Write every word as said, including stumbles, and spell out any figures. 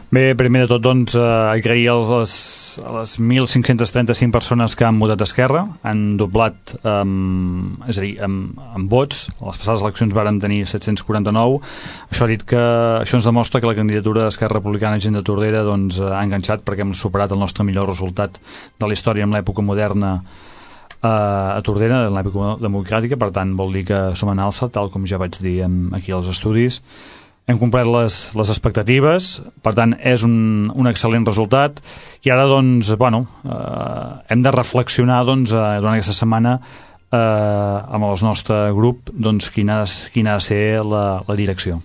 Bé, primer de tot, doncs, eh, agrair als, les, a les mil cinc-cents trenta-cinc persones que han votat Esquerra, han doblat, eh, és a dir, amb, amb vots. A les passades eleccions vàrem tenir set-cents quaranta-nou. Això ha dit que això ens demostra que la candidatura d'Esquerra Republicana Gent de Tordera doncs, ha enganxat, perquè hem superat el nostre millor resultat de la història en l'època moderna eh, a Tordera, en l'època democràtica. Per tant, vol dir que som en alça, tal com ja vaig dir en, aquí als estudis. Hem complert les, les expectatives, per tant és un, un excel·lent resultat, i ara doncs, bueno, eh, hem de reflexionar doncs, eh, durant aquesta setmana eh, amb el nostre grup doncs, quina, quina ha de ser la, la direcció.